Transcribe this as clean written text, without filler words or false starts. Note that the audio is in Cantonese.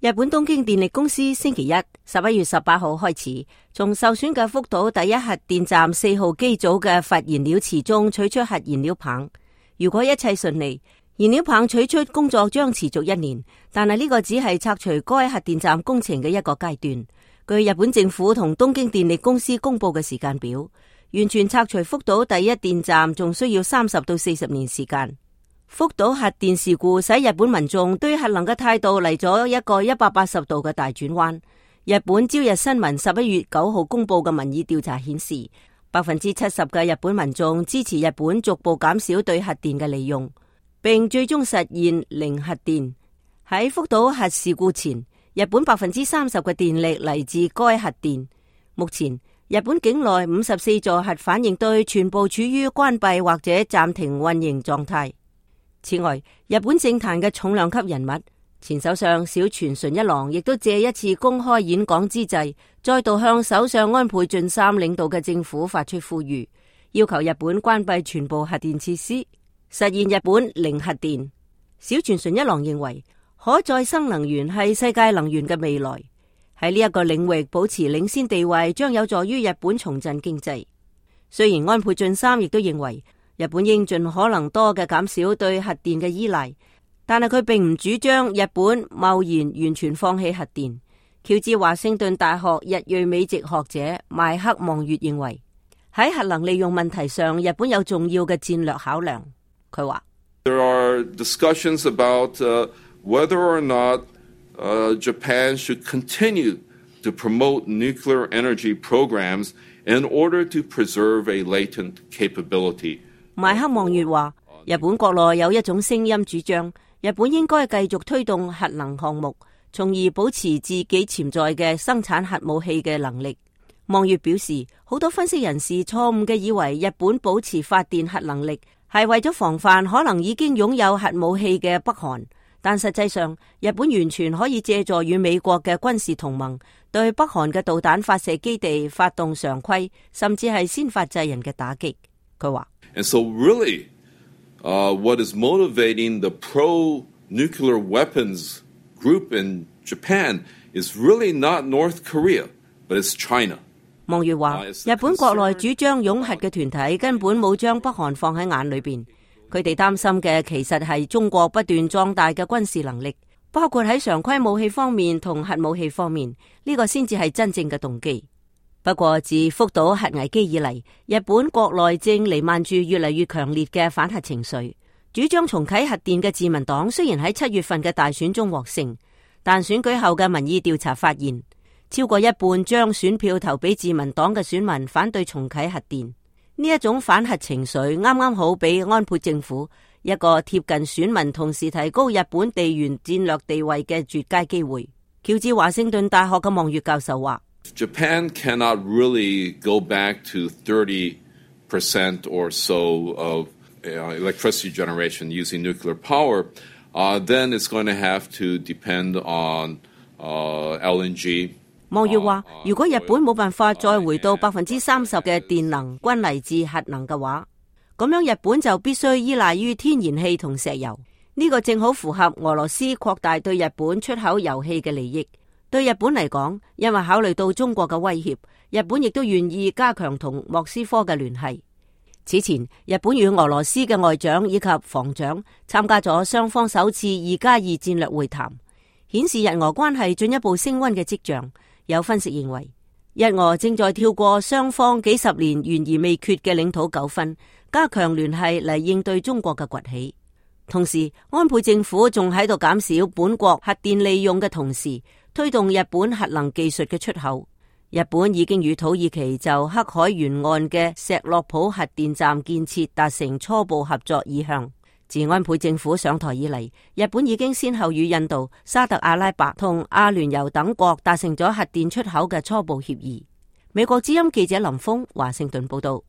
日本東京電力公司星期一11月18號開始，從受損嘅福島第一核電站4號機組嘅核燃料池中取出核燃料棒。如果一切順利，燃料棒取出工作將持續1年，但係呢個只係拆除該核電站工程嘅一個階段。據日本政府同東京電力公司公布嘅時間表，完全拆除福島第一電站仲需要30到40年時間。福島核電事故使日本民眾對核能嘅態度嚟咗一個180度嘅大轉彎。日本朝日新聞11月9號公布嘅民意調查顯示，70%嘅日本民眾支持日本逐步減少對核電嘅利用，並最終實現零核電。喺福島核事故前，日本30%嘅電力嚟自該核電。目前，日本境內54座核反應堆全部處於關閉或者暫停運營狀態。此外，日本政壇嘅重量級人物前首相小泉純一郎亦都借一次公開演講之際，再度向首相安倍晉三領導嘅政府發出呼籲，要求日本關閉全部核電設施，實現日本零核電。小泉純一郎認為，可再生能源係世界能源嘅未來，喺呢一個領域保持領先地位將有助於日本重振經濟。雖然安倍晉三亦都認為日本應盡可能多嘅減少對核電嘅依賴，但係佢並唔主張日本貿然完全放棄核電。喬治華盛頓大學日裔美籍學者邁克望月認為，喺核能利用問題上，日本有重要嘅戰略考量。佢話：There are discussions about whether or not Japan should continue to promote nuclear energy programs in order to preserve a latent capability。邁克望月話，日本國內有一種聲音主張，日本應該繼續推動核能項目，從而保持自己潛在嘅生產核武器嘅能力。望月表示，好多分析人士錯誤嘅以為日本保持發電核能力係為咗防範可能已經擁有核武器嘅北韓，但實際上，日本完全可以借助與美國嘅軍事同盟，對北韓嘅導彈發射基地發動常規，甚至係先發制人嘅打擊。佢話：And so really, what is motivating the pro-nuclear weapons group in Japan is really not North Korea, but it's China。望月話：日本國內主張擁核嘅團體根本冇將北韓放喺眼裏邊，佢哋擔心嘅其實係中國不斷壯大嘅軍事能力，包括喺常規武器方面同核武器方面，呢個先至係真正嘅動機。不過自福島核危機以嚟，日本國內正彌漫住越嚟越強烈嘅反核情緒。主張重啟核電嘅自民黨雖然喺7月份嘅大選中獲勝，但選舉後嘅民意調查發現，超過一半將選票投俾自民黨嘅選民反對重啟核電。呢一種反核情緒啱啱好俾安倍政府一個貼近選民，同時提高日本地緣戰略地位嘅絕佳機會。喬治華盛頓大學嘅望月教授話：Japan cannot really go back to 30% or so of electricity generation using nuclear power. Then it's going to have to depend on LNG。望月話：如果日本冇辦法再回到30%嘅電能均嚟自核能嘅話，咁樣日本就必須依賴於天然氣同石油。呢個正好符合俄羅斯擴大對日本出口油氣嘅利益。對日本嚟講，因為考慮到中國嘅威脅，日本亦都願意加強同莫斯科嘅聯繫。此前，日本與俄羅斯嘅外長以及防長參加咗雙方首次2+2戰略會談，顯示日俄關係進一步升溫嘅跡象。有分析認為，日俄正在跳過雙方幾十年懸而未決嘅領土糾紛，加強聯繫嚟應對中國嘅崛起。同時，安倍政府仲喺度減少本國核電利用嘅同時，推動日本核能技術嘅出口。日本已經與土耳其就黑海沿岸嘅石洛浦核電站建設達成初步合作意向。自安倍政府上台以嚟，日本已經先後與印度、沙特阿拉伯同阿聯酋等國達成咗核電出口嘅初步協議。美國之音記者林峰華盛頓報道。